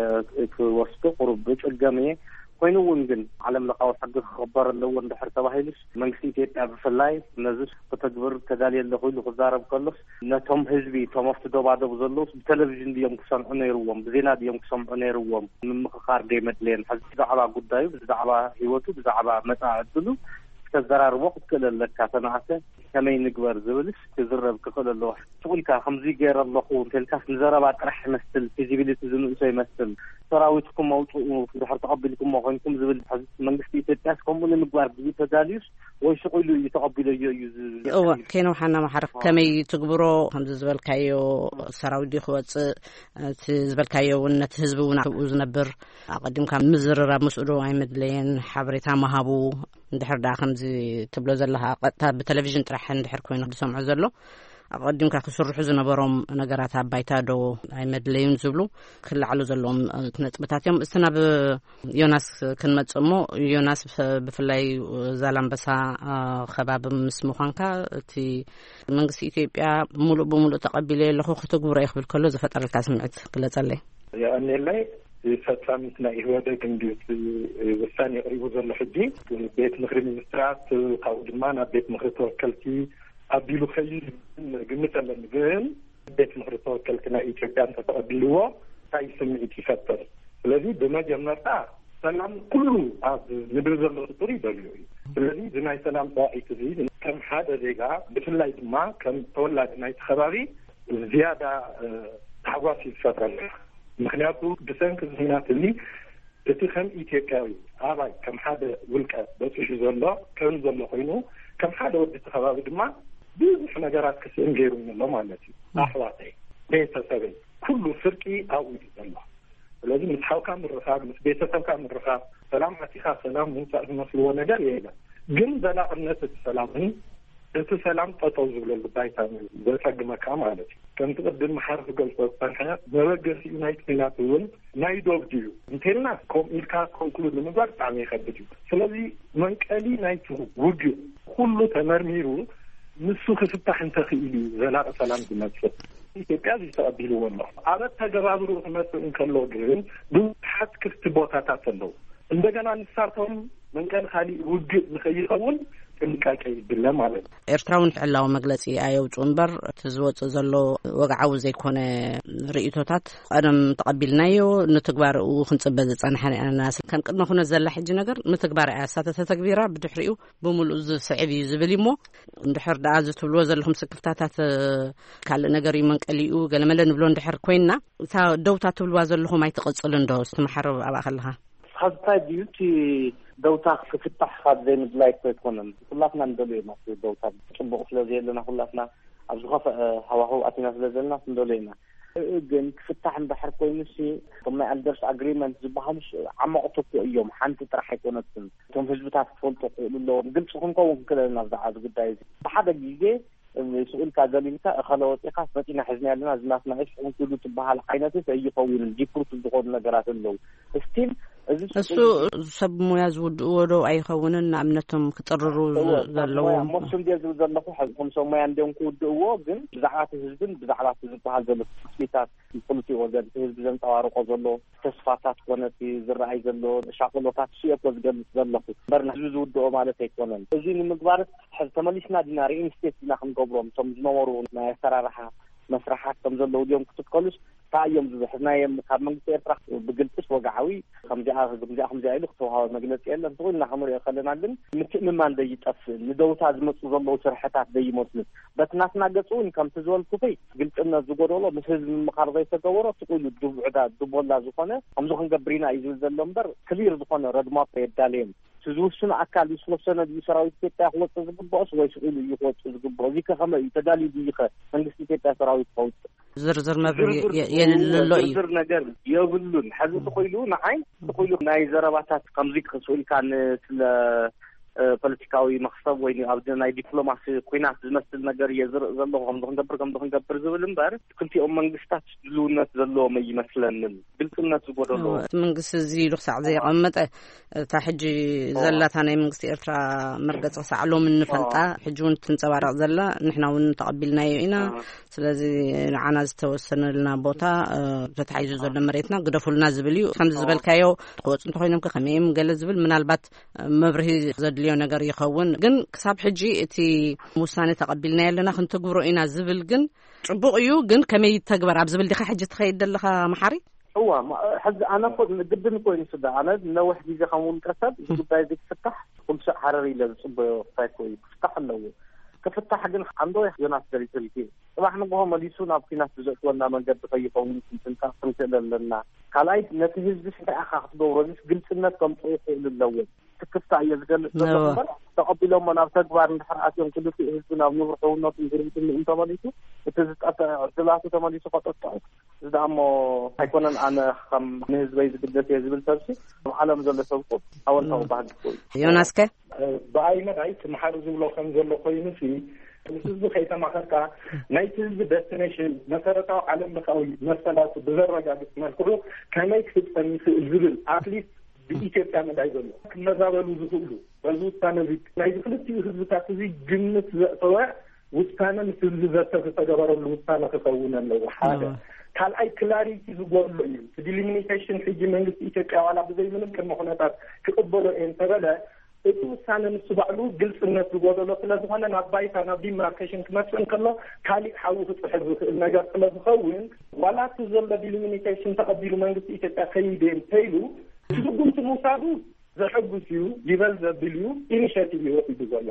ክወስዶ ቁሩብ እጽገም እየ። ኮይኑ እውን ግን ዓለም ለኻዊ ሕጊ ክኽበር ኣለዎ እንድሕር ተባሂሉስ፣ መንግስቲ ኢትዮጵያ ብፍላይ ነዚ ክተግብር ተዳልየ ኣለኹ ኢሉ ክዛረብ ከሎስ፣ ነቶም ህዝቢ፣ እቶም ኣብቲ ዶባዶብ ዘለውስ ብቴሌቪዥን ድዮም ክሰምዑ ነይርዎም? ብዜና ድዮም ክሰምዑ ነይርዎም? ምምኽኻር ደይመድለየን። ሕዚ ብዛዕባ ጉዳዩ፣ ብዛዕባ ህይወቱ፣ ብዛዕባ መጻኢ ዕድሉ ክተዘራርቦ ክትክእል ኣለካ። ተነኣሰ ከመይ ንግበር ዝብልስ ክዝረብ ክኽእል ኣለዎ። ስቕ ኢልካ ከምዚ ገይረ ኣለኹ እንተልካስ ንዘረባ ጥራሕ ይመስል፣ ፊዚቢሊቲ ዝንእሶ ይመስል። ሰራዊትኩም ኣውፅኡ፣ ድሕር ተቐቢልኩሞ ኮይንኩም ዝብል ሕዚ መንግስቲ ኢትዮጵያስ ከምኡ ንምግባር ድዩ ተዳልዩስ ወይ ስቕ ኢሉ እዩ ተቐቢለዮ እዩ ዝ-? እወ፣ ከይነውሓና መሓር፣ ከመይ ትግብሮ? ከምዚ ዝበልካዮ ሰራዊት ድዩ ክወፅእ? እቲ ዝበልካዮ እውን ነቲ ህዝቢ እውን ኣብኡ ዝነብር ኣቐዲምካ ምዝርራብ ምስኡ ዶ ኣይመድለየን? ሓበሬታ ምሃቡ። እንድሕር ደኣ ከምዚ ትብሎ ዘለኻ ቀጥታ ብቴሌቪዥን ጥራሕ እንድሕር ኮይኑ ዝሰምዖ ዘሎ፣ ኣቐዲምካ ክስርሑ ዝነበሮም ነገራት ኣብ ባይታ ዶ ኣይመድለዩን ዝብሉ ክለዓሉ ዘለዎም ነጥብታት እዮም። እስቲ ናብ ዮናስ ክንመጽእ እሞ፣ ዮናስ፣ ብፍ-፣ ብፍላይ ዛላምበሳ፣ አ፣ ከባቢ ምስ ምዃንካ፣ እቲ መንግስቲ ኢትዮጵያ ምሉእ ብምሉእ ተቐቢለዮ ኣለኹ፣ ክትግብሮ እየ ክብል ከሎ ዝፈጠረልካ ስምዒት ግለጸለይ። የቐንየለይ። ፈጻሚት ናይ ኢህወደግ እንድዩ እቲ ውሳኔ የቕሪቡ ዘሎ ሕጂ። ቤት ምኽሪ ሚኒስትራት፣ ካብኡ ድማ ናብ ቤት ምኽሪ ተወከልቲ ኣቢሉ ከይዱ ግምት ኣለኒ። ግን ቤት ምኽሪ ተወከልቲ ናይ ኢትዮጵያ እንተተቐቢልዎ እንታይ ስምዒት ይፈጥር? ስለዚ ብመጀመርታ ሰላም ኩሉ ኣብ ምድሪ ዘሎ ፍጡር ይደልዮ እዩ። ስለዚ እዚ ናይ ሰላም ጻውዒት እዚ ከም ሓደ ዜጋ፣ ብፍላይ ድማ ከም ተወላዲ ናይቲ ከባቢ ዝያዳ፣ እ፣ ታሕጓስ እዩ ዝፈጥረልካ። ምኽንያቱ ብሰንኪ እዚ ኲናት እዚ እቲ ከም ኢትዮጵያዊ ኣባይ፣ ከም ሓደ ውልቀ በጺሑ ዘሎ፣ ከም ዘሎ ኮይኑ፣ ከም ሓደ ወዲ እቲ ከባቢ ድማ ብዙሕ ነገራት ክስእን ገይሩኒ ኣሎ ማለት እዩ። ኣሕዋተይ፣ ቤተሰበይ፣ ኩሉ ፍርቂ ኣብኡ እዩ ዘሎ። ስለዚ ምስ ሓውካ ምርኻብ፣ ምስ ቤተሰብካ ምርኻብ፣ ሰላም ኣቲኻ ሰላም ምውጻእ ዝመስልዎ ነገር የለን። ግን ዘላቕነት እቲ ሰላምን እቲ ሰላም ጠጠው ዝብለሉ ባይታ ዘጸግመካ ማለት እዩ። ከምቲ ቅድም መሓር ዝገልጾ ዝጸንሐ፣ መበገሲኡ ናይ ኩናት እውን ናይ ዶብ ድዩ እንተልና፣ ከምኡ ኢልካ ኮንክሉድ ንምግባር ብጣዕሚ ይኸብድ እዩ። ስለዚ መንቀሊ ናይቲ ውግእ ኩሉ ተመርሚሩ ንሱ ክፍታሕ እንተኽኢሉ እዩ ዘላቂ ሰላም ዝመጽእ። ኢትዮጵያ እዚ ተቐቢልዎ ኣሎ። ኣብ ኣተገባብርኡ ክመጽእ እንከሎ ግን ብዙሓት ክፍቲ ቦታታት ኣለዉ። እንደገና ንሳቶም መንቀሊ ካሊእ ውግእ ንኸይኸውን ጥንቃቄ ይድለ ማለት እዩ። ኤርትራ እውን ዕላዊ መግለጺ ኣየውጽኡ እምበር፣ እቲ ዝወጽእ ዘሎ ወግዓዊ ዘይኮነ ርእይቶታት ቀደም ተቐቢልናዮ፣ ንትግባርኡ ክንጽበ ዝጸናሕና ኢና። ከም ቅድመ ኩነት ዘላ ሕጂ ነገር ንትግባር እያ። እሳ ተተተግቢራ ብድሕሪኡ ብምሉእ ዝስዕብ እዩ ዝብል እዩ። እሞ እንድሕር ደኣ እዚ ትብልዎ ዘለኹም ስክፍታታት፣ እ፣ ካልእ ነገር እዩ መንቀሊኡ፣ ገለመለ ንብሎ እንድሕር ኮይንና፣ እታ ደውታ ትብልዋ ዘለኹም ኣይትቕጽልን ዶ? ዝትመሓረብ ኣብኣ ከለኻ። ኻብታይ ድዩ እቲ ደውታ ክፍታሕ ካብ ዘይምድላይ እኮ ኣይኮነን። ኩላትና ንደልዮ ኢና እቲ ደውታ። ጽቡቕ ስለ ዘየለና፣ ኩላትና ኣብ ዝኸፍአ ሃዋህው ኣቲና ስለ ዘለና ክንደልዮ ኢና። እ፣ ግን ክፍታሕ እንድሕር ኮይኑሲ፣ እቶም ናይ ኣልጀርስ ኣግሪመንት ዝበሃሉስ ዓመቕቲ እኮ እዮም። ሓንቲ ጥራሕ ኣይኮነትን። እቶም ህዝብታት ክፈልጡ ክኽእሉ ኣለዎም። ግልፂ ክንከውን ክኽእለና ብዛዕባ እዚ ጉዳይ እዚ። ብሓደ ግዜ ስኢልካ ገሊልካ፣ እኸለ ወፂኻስ መፂና ሒዝና ኣለና፣ እዚ ናትና እዩ፣ ስኹም ክዱ ትበሃል ዓይነትስ ኣይኸውንን። ዲፕሩት ዝኾኑ ነገራት ኣለዉ። ስቲል እዚ እሱ ሰብ ሞያ ዝውድእዎ ዶ ኣይኸውንን? ንኣብነቶም ክጥርሩ እወ፣ ዝ-፣ ሰብ ሞያ ዘለዎም። ሞስም ድየ ዝብል ዘለኹ፣ ሕዚ ከም ሰብ ሞያ እንድዮም ክውድእዎ፣ ግን ብዛዕባ እቲ ህዝብን ብዛዕባ እቲ ዝበሃል ዘሎ ተስፋታት፣ ክልቲኡ ወገን እቲ ህዝቢ ዘንጸባርቆ ዘሎ ተስፋታት ኮነ እቲ ዝረኣይ ዘሎ ሻቕሎታት እሱ እየ እኮ ዝገልጽ ዘለኹ። እምበር ንህዝቢ ዝውድኦ ማለት ኣይኮነን። እዚ ንምግባርስ ሕዚ ተመሊስና ዲና ሪኢንስቴት ዲና ክንገብሮም? እቶም ዝነበሩ ናይ ኣሰራርሓ መስርሓት ከም ዘለዉ ድዮም ክትከሉስ? እንታይ እዮም ዝብሕናዮም? ካብ መንግስቲ ኤርትራ ብግልጽስ ወግዓዊ ከምዚኣ፣ ከምዚኣ፣ ከምዚኣ ኢሉ ክተውሃበ መግለጺ የለን። ተኾይንና ክንሪኦ ከለና ግን ምትእምማን ዘይጠፍእ፣ ንደውታ ዝመጹ ዘለዉ ስርሕታት ዘይመስሉ። በቲ ናትና ገጽ እውን ከምቲ ዝበልኩኺ ግልጽነት ዝጎደሎ፣ ምስ ህዝቢ ምምኻር ዘይተገበሮ፣ ስቕ ኢሉ ዱብ ዕዳ፣ ዱቦላ ዝኾነ ከምዚ ክንገብር ኢና እዩ ዝብል ዘሎ እምበር፣ ክሊር ዝኾነ ረድማፕ የዳለየን። እቲ ዝውስኑ ኣካል እዩ ዝወሰነ ድዩ ሰራዊት ኢትዮጵያ ክወጽእ ዝግብኦስ ወይ ስቕ ኢሉ እዩ ክወጽእ ዝግብኦ? እዚ ከ ከመይ እዩ? ተዳልዩ ድዩ ከ መንግስቲ ኢትዮጵያ ሰራዊት ከውጽእ? ዝርዝር መብርሂ ዝርዝር የ-፣ የድሊ ኣሎ እዩ። ዝርዝር ነገር የብሉን። ሕዚ ስቕ ኢሉ ንዓይ ስቕ ኢሉ ናይ ዘረባታት ከምዚ ክስኡ ኢልካ ንስለ፣ እ፣ ፖለቲካዊ መኽሰብ ወይ ኣብ ናይ ዲፕሎማሲ ኩናት ዝመስል ነገር እየ ዝርኢ ዘለኹ። ከምዚ ክንገብር፣ ከምዚ ክንገብር ዝብል እምበር ክልቲኦም መንግስታት ድልውነት ዘለዎም ኣይመስለንን። ግልጽነት ዝጎደሎ። እወ፣ እቲ መንግስቲ እዚ ኢሉ ክሳዕ ዘየቐመጠ፣ እታ ሕጂ እወ። ዘላታ ናይ መንግስቲ ኤርትራ መርገጺ ክሳዕ ሎሚ እንፈልጣ፣ እወ። ሕጂ እውን ትንጸባረቕ ዘላ፣ ንሕና እውን ተቐቢልናዮ ኢና። እወ። ስለዚ ንዓና ዝተወሰነልና ቦታ፣ እ፣ ተታሒዙ ዘሎ መሬትና ግደፉልና ዝብል እዩ። ከምዚ እወ። ዝበልካዮ ክወጹ እንተኾይኖም ከ ከመይ እዮም ገለ ዝብል ምናልባት መብርሂ ዘድልዮ ነገር ይኸውን። ግን ክሳብ ሕጂ እቲ ውሳኔ ተቐቢልናዮ ኣለና፣ ክንትግብሮ ኢና ዝብል ግን ጽቡቕ እዩ። ግን ከመይ ይተግበር ኣብ ዝብል ዲኻ ሕጂ ትኸይድ ዘለኻ መሓሪ? እዋ፣ ማ-፣ ሕዚ ኣነ እኮ ግድን እኮ እዩ ስዳ። ኣነ ነዊሕ ግዜ ከም ውልቀ ሰብ እዚ ጉዳይ እዚ ክፍታሕ ኩሉ ሰብ ሃረር ኢለ ዝጽበዮ ጉዳይ እኮ እዩ። ክፍታሕ ኣለዎ። ክፍታሕ ግን ኣንዶ ዮናስ ደሪትሪቲ ጽባሕ ንግሆ መሊሱ ናብ ኲናት ብዘእትወና መንገዲ ከይኸውን ክንጥንቀቕ ክንክእል ኣለና። ካልኣይ ነቲ ህዝቢ እንታይ ኢኻ ክትገብሮ? እዚስ ግልጽነት ከምጽኡ ይኽእሉ ኣለዎም። ስክፍታ እየ ዝገልጽ ዘለኹ እወ። እምበር፣ ተቐቢሎሞ ናብ ተግባር እንድሕር ኣትዮም ክልቲኡ ህዝቢ ናብ ንቡር ሕውነቱን ጉርብትንኡን ተመሊሱ፣ እቲ ዝጠፍአ ዕድላቱ ተመሊሱ ከጠጥዑ፣ እዚ ደኣ እሞ ኣይኮነን ኣነ ከም ንህዝበይ ዝግደስ እየ ዝብል ሰብሲ፣ ኣብ ዓለም ዘሎ ሰብ እኮ ኣወንታዊ እወ። ባህጊ እኮ እዩ። ዮናስከ? ብኣይ መዳይ እቲ መሓሪ ዝብሎ ከም ዘሎ ኮይኑሲ፣ ምስ ህዝቢ ከይተማኸርካ፣ ናይቲ ህዝቢ ደስቲኔሽን፣ መሰረታዊ ዓለም ለኻዊ መሰላቱ ብዘረጋግጽ መልክዑ ከመይ ክፍጸም ይኽእል ዝብል፣ ኣትሊስት ብኢትዮጵያ መዳይ ዘሎ ክመዛበሉ ዝኽእሉ፣ በዚ ውሳነ እዚ ናይዚ ክልቲኡ ህዝብታት እዚ ግምት ዘእተወ ውሳነ፣ ምስ ህዝቢ ዘተ ዝተገበረሉ ውሳነ ክኸውን ኣለዎ። ሓደ። እወ። ካልኣይ ክላሪቲ ዝጎድሎ እዩ። እቲ ዲሊሚኒቴሽን ሕጂ መንግስቲ ኢትዮጵያ ዋላ ብዘይ ምንም ቅድመ ኩነታት ክቕበሎ እየ እንተበለ፣ እቲ ውሳነ ንሱ ባዕሉ ግልጽነት ዝጎደሎ ስለ ዝኾነ፣ ናብ ባይታ፣ ናብ ዲማርኬሽን ክመጽእ እንከሎ ካሊእ ሓዊ ክጥሕል ዝኽእል ነገር ስለ ዝኸውን፣ ዋላ እቲ ዘሎ ዲሊሚኒቴሽን ተቐቢሉ መንግስቲ ኢትዮጵያ ከይደ እንተኢሉ፣ እቲ ስጉምቲ ምውሳዱ ዘሐጉስ እዩ፣ ይበል ዘብል እዩ፣ ኢኒሼቲቭ እዩ ወሲዱ ዘሎ።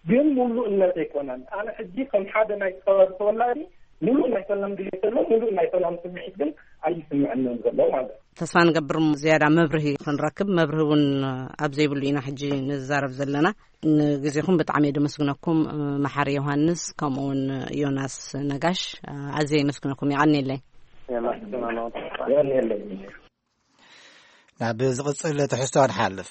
ግን ሙሉእነት ኣይኮነን። ኣነ ሕጂ ከም ሓደ ናይ ከባቢ ተወላዲ ሙሉእ ናይ ሰላም ድሌት ዘሎ፣ ሙሉእ ናይ ሰላም ስምዒት ግን ኣይስምዕንን ዘሎ ማለት እዩ። ተስፋ ንገብር ዝያዳ መብርሂ ክንረክብ፣ መብርሂ እውን ኣብ ዘይብሉ ኢና ሕጂ ንዛረብ ዘለና። ንግዜኹም ብጣዕሚ እየ ደመስግነኩም፣ መሓሪ ዮሃንስ፣ ከምኡ እውን ዮናስ ነጋሽ፣ ኣዝየ የመስግነኩም። የቐንየለይ። የመስግነኩም። የቐንየለይ። ናብ ዝቕጽል ትሕዝቶ ንሓልፍ።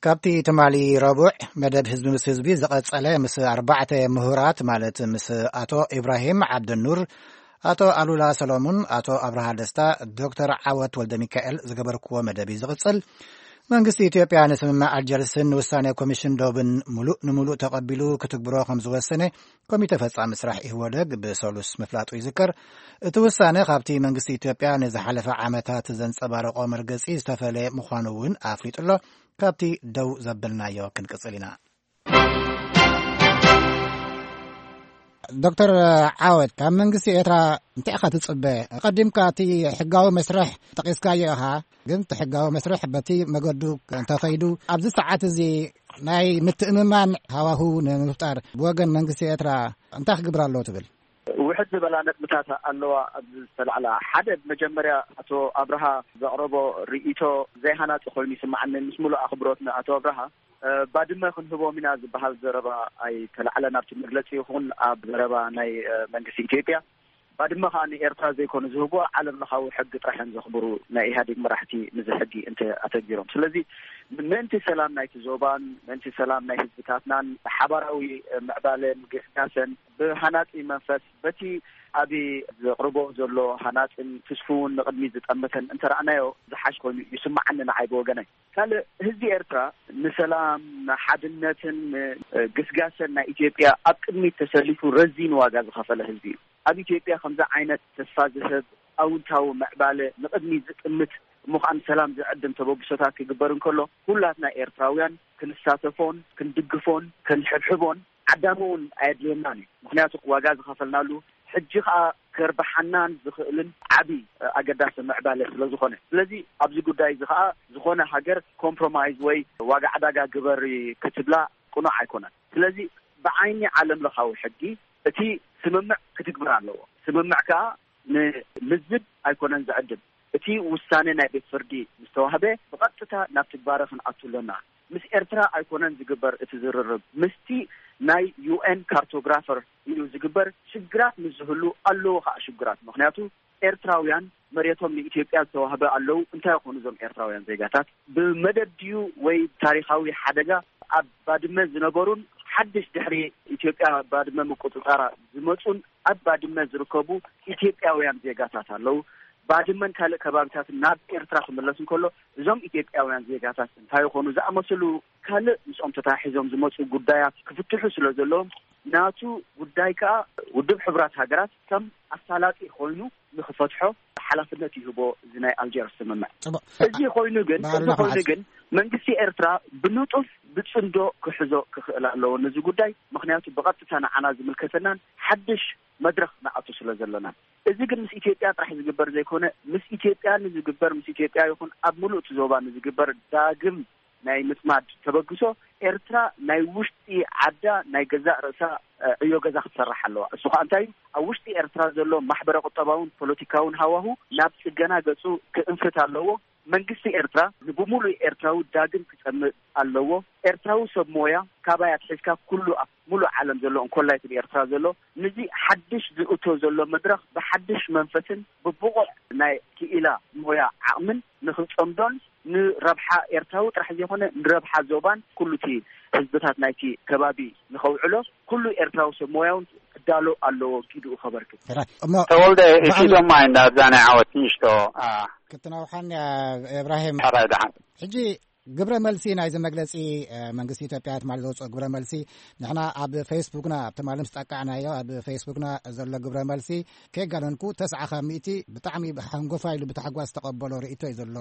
ካብቲ ትማሊ ረቡዕ መደብ ህዝቢ ምስ ህዝቢ ዝቐጸለ፣ ምስ ኣርባዕተ ምሁራት፣ ማለት ምስ ኣቶ ኢብራሂም ዓብደኑር፣ ኣቶ ኣሉላ ሰሎሙን፣ ኣቶ ኣብርሃ ደስታ፣ ዶክተር ዓወት ወልደ ሚካኤል ዝገበርክዎ መደብ እዩ ዝቕጽል። መንግስቲ ኢትዮጵያ ንስምምዕ ኣልጀርስን ንውሳኔ ኮሚሽን ዶብን ምሉእ ንምሉእ ተቐቢሉ ክትግብሮ ከም ዝወሰነ ኮሚተ ፈጻሚ ስራሕ ኢህወደግ ብሰሉስ ምፍላጡ ይዝከር። እቲ ውሳነ ካብቲ መንግስቲ ኢትዮጵያ ንዝሓለፈ ዓመታት ዘንጸባረቆ መርገጺ ዝተፈለየ ምዃኑ እውን ኣፍሊጡ ኣሎ። ካብቲ ደው ዘበልናዮ ክንቅጽል ኢና። ዶክተር ዓወት፣ ካብ መንግስቲ ኤርትራ እንታይ ኢኻ ትጽበ? ቀዲምካ እቲ ሕጋዊ መስርሕ ጠቒስካዮ ኢኻ፣ ግን እቲ ሕጋዊ መስርሕ በቲ መገዱ እንተኸይዱ፣ ኣብዚ ሰዓት እዚ ናይ ምትእምማን ሃዋሁ ንምፍጣር ብወገን መንግስቲ ኤርትራ እንታይ ክግብር ኣለዎ ትብል? ውሕድ ዝበላ ነጥብታት ኣለዋ ኣብዚ ዝተላዕላ። ሓደ፣ መጀመርያ ኣቶ ኣብርሃ ዘቕረቦ ርእይቶ ዘይሃናጺ ኮይኑ ይስምዓኒ፣ ምስ ሙሉእ ኣኽብሮት ንኣቶ ኣብርሃ። እ፣ ባድመ ክንህቦም ኢና ዝበሃል ዘረባ ኣይተላዕለን ኣብቲ መግለጺ ይኹን ኣብ ዘረባ ናይ፣ እ፣ መንግስቲ ኢትዮጵያ። ባድመ ከኣ ንኤርትራ ዘይኮኑ ዝህብዎ፣ ዓለም ለኻዊ ሕጊ ጥራሕ እዮም ዘኽብሩ ናይ ኢህኣዴግ መራሕቲ፣ ንዚ ሕጊ እንተ ኣተግቢሮም። ስለዚ ምእንቲ ሰላም ናይቲ ዞባን ምእንቲ ሰላም ናይ ህዝብታትናን ሓባራዊ፣ እ፣ ምዕባለን ግስጋሰን ብሃናጺ መንፈስ በቲ ኣብይ ዘቕርቦ ዘሎ ሃናጽን ትስፉውን ንቕድሚት ዝጠምተን እንተረኣናዮ ዝሓሽ ኮይኑ ይስምዓኒ ንዓይ ብወገነይ። ካልእ፣ ህዝቢ ኤርትራ ንሰላም፣ ንሓድነትን ንግስጋሰን ናይ ኢትዮጵያ ኣብ ቅድሚት ተሰሊፉ ረዚን ዋጋ ዝኸፈለ ህዝቢ እዩ። ኣብ ኢትዮጵያ ከምዚ ዓይነት ተስፋ ዝህብ ኣውንታዊ ምዕባለ ንቕድሚት ዝጥምት እሞ ከኣ ንሰላም ዝዕድም ተበግሶታት ክግበር እንከሎ፣ ኩላትና ኤርትራውያን ክንሳተፎን ክንድግፎን ክንሕብሕቦን ዓዳሚ እውን ኣየድልየናን እዩ። ምኽንያቱ ዋጋ ዝኸፈልናሉ፣ ሕጂ ከኣ ከርብሓናን ዝኽእልን ዓቢ ኣገዳሲ ምዕባለ ስለ ዝኾነ። ስለዚ ኣብዚ ጉዳይ እዚ ከኣ ዝኾነ ሃገር ኮምፕሮማይዝ ወይ ዋጋ ዕዳጋ ግበሪ ክትብላ ቅኑዕ ኣይኮነን። ስለዚ ብዓይኒ ዓለም ለኻዊ ሕጊ እቲ ስምምዕ ክትግበር ኣለዎ። ስምምዕ ከኣ ንልዝብ ኣይኮነን ዝዕድም። እቲ ውሳነ ናይ ቤት ፍርዲ ምስ ተዋህበ ብቐጥታ ናብ ትግባረ ክንኣቱ ኣለና። ምስ ኤርትራ ኣይኮነን ዝግበር እቲ ዝርርብ፣ ምስቲ ናይ ዩ ኤን ካርቶግራፈር እዩ ዝግበር። ሽግራት ምስ ዝህሉ ኣለዎ ከኣ ሽግራት። ምኽንያቱ ኤርትራውያን መሬቶም ንኢትዮጵያ ዝተዋህበ ኣለዉ። እንታይ ይኾኑ እዞም ኤርትራውያን ዜጋታት? ብመደብ ድዩ ወይ ታሪኻዊ ሓደጋ? ኣብ ባድመ ዝነበሩን ሓድሽ ድሕሪ ኢትዮጵያ ባድመ ምቁጽጻራ ዝመጹን ኣብ ባድመ ዝርከቡ ኢትዮጵያውያን ዜጋታት ኣለዉ። ባድመን ካልእ ከባቢታትን ናብ ኤርትራ ክምለስ እንከሎ፣ እዞም ኢትዮጵያውያን ዜጋታት እንታይ ይኾኑ ዝኣመሰሉ ካልእ ምስኦም ተታሒዞም ዝመጹ ጉዳያት ክፍትሑ ስለ ዘለዎም፣ ናቱ ጉዳይ ከኣ ውድብ ሕቡራት ሃገራት ከም ኣሳላጢ ኮይኑ ንኽፈትሖ ሓላፍነት ይህቦ እዚ ናይ ኣልጀርስ ስምምዕ። ጽቡቕ። እዚ ኮይኑ ግን፣ እዚ ባዕልና ኮይኑ ክንዓጽ። ግን መንግስቲ ኤርትራ ብንጡፍ ብጽምዶ ክሕዞ ክኽእል ኣለዎ ነዚ ጉዳይ። ምኽንያቱ ብቐጥታ ንዓና ዝምልከተናን ሓድሽ መድረኽ ንኣቱ ስለ ዘለናን። እዚ ግን ምስ ኢትዮጵያ ጥራሕ ዝግበር ዘይኮነ፣ ምስ ኢትዮጵያ ንዝግበር፣ ምስ ኢትዮጵያ ይኹን ኣብ ምሉእ እቲ ዞባ ንዝግበር ዳግም ናይ ምጽማድ ተበግሶ፣ ኤርትራ ናይ ውሽጢ ዓዳ ናይ ገዛእ ርእሳ፣ እ፣ ዕዮ ገዛ ክትሰርሕ ኣለዋ። እሱ ኸኣ እንታይ እዩ? ኣብ ውሽጢ ኤርትራ ዘሎ ማሕበረ ቁጠባውን ፖለቲካውን ሃዋሁ ናብ ጽገና ገጹ ክእንፍት ኣለዎ። መንግስቲ ኤርትራ ንብምሉእ ኤርትራዊ ዳግም ክጸምእ ኣለዎ። ኤርትራዊ ሰብ ሞያ ካባይ ኣትሒዝካ ኩሉ ኣብ ሙሉእ ዓለም ዘሎ እንኮላይ እቲ ኤርትራ ዘሎ፣ ነዚ ሓድሽ ዝእቶ ዘሎ መድረኽ ብሓድሽ መንፈስን ብብቑዕ ናይ ክኢላ ሞያ ዓቕምን ንኽጸምዶን ንረብሓ ኤርትራዊ ጥራሕ ዘይኮነ ንረብሓ ዞባን ኩሉ እቲ ህዝብታት ናይቲ ከባቢ ንኸውዕሎ ኩሉ ኤርትራዊ ሰብ ሞያ እውን ክዳሎ ኣለዎ፣ ግድኡ ከበርክት። ሕራይ። እሞ ተወልደ፣ ብኣል- እኪዶማ እንዳ ኣብዛ ናይ ዓወት ንእሽቶ፣ አ፣ ክትናውሓን እያ፣ እብራሂም። ሕራይ ደሓን። ሕጂ ግብረ መልሲ ናይዚ መግለጺ፣ እ፣ መንግስቲ ኢትዮጵያ ትማሊ ዘውጽኦ ግብረ መልሲ፣ ንሕና ኣብ ፌስቡክና፣ ኣብ ትማሊ ምስ ጠቃዕናዮ፣ ኣብ ፌስቡክና ዘሎ ግብረ መልሲ፣ ከይጋነንኩ፣ ተስዓ ካብ ሚእቲ ብጣዕሚ ሓንጎፋ ኢሉ ብታሕጓስ ዝተቐበሎ ርእይቶ እዩ ዘሎ።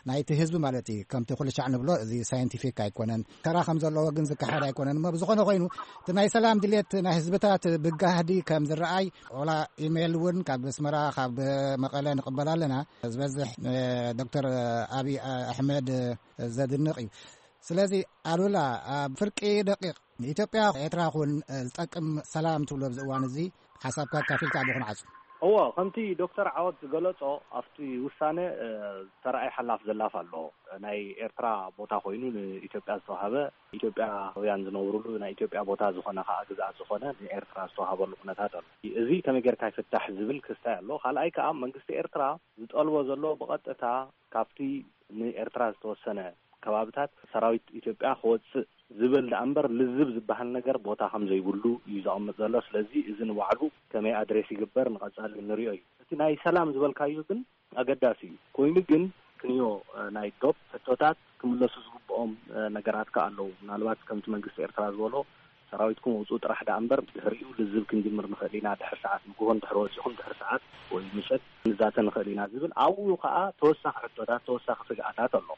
ናይቲ ህዝቢ ማለት እዩ። ከምቲ ኩሉ ሻዕ ንብሎ፣ እዚ ሳይንቲፊክ ኣይኮነን። ተራ ከም ዘለዎ ግን ዝከሓድ ኣይኮነን። እሞ ብዝኾነ ኮይኑ፣ እቲ ናይ ሰላም ድሌት ናይ ህዝብታት ብጋህዲ ከም ዝረኣይ፣ ኦላ ኢሜይል እውን ካብ ኣስመራ፣ ካብ መቐለ ንቕበል ኣለና። ዝበዝሕ፣ እ፣ ዶክተር ኣብይ ኣሕመድ ዘድንቕ እዩ። ስለዚ ኣሉላ፣ ኣብ ፍርቂ ደቂቕ ንኢትዮጵያ ኤርትራ ኹን፣ እ፣ ዝጠቅም ሰላም ትብሎ ኣብዚ እዋን እዚ ሓሳብካ ኣካፊልካ ኣቦ ክንዓጹ። እዎ፣ ከምቲ ዶክተር ዓወት ዝገለጾ፣ ኣብቲ ውሳነ፣ እ፣ ዝተረኣየ ሓላፍ ዘላፍ ኣሎ። ናይ ኤርትራ ቦታ ኮይኑ ንኢትዮጵያ ዝተዋሃበ፣ ኢትዮጵያውያን ዝነብሩሉ ናይ ኢትዮጵያ ቦታ ዝኾነ ከኣ ግዝኣት ዝኾነ ንኤርትራ ዝተዋሃበሉ ኩነታት ኣሎ። እዚ ከመይ ጌርካ ይፍታሕ ዝብል ክስታይ ኣሎ። ካልኣይ ከኣ መንግስቲ ኤርትራ ዝጠልቦ ዘሎ ብቐጥታ ካብቲ ንኤርትራ ዝተወሰነ ከባብታት ሰራዊት ኢትዮጵያ ክወፅእ ዝብል ደኣ እምበር ልዝብ ዝበሃል ነገር ቦታ ከም ዘይብሉ እዩ ዘቐምጥ ዘሎ። ስለዚ እዚ ንባዕሉ ከመይ ኣድሬስ ይግበር ንቐፃሊ ንሪኦ እዩ። እቲ ናይ ሰላም ዝበልካዮ ግን ኣገዳሲ እዩ። ኮይኑ ግን ክንዮ ናይ ዶብ ሕቶታት ክምለሱ ዝግብኦም ነገራት ከ ኣለዉ። ምናልባት ከምቲ መንግስቲ ኤርትራ ዝበሎ ሰራዊትኩም ውፁ ጥራሕ ደኣ እምበር ድሕሪኡ ልዝብ ክንጅምር ንኽእል ኢና፣ ድሕር ሰዓት ንግሆ እንድሕር ወፂኹም ድሕር ሰዓት ወይ ምሸት ንዛተ ንኽእል ኢና ዝብል ኣብኡ ከዓ ተወሳኺ ሕቶታት ተወሳኺ ስግኣታት ኣሎ።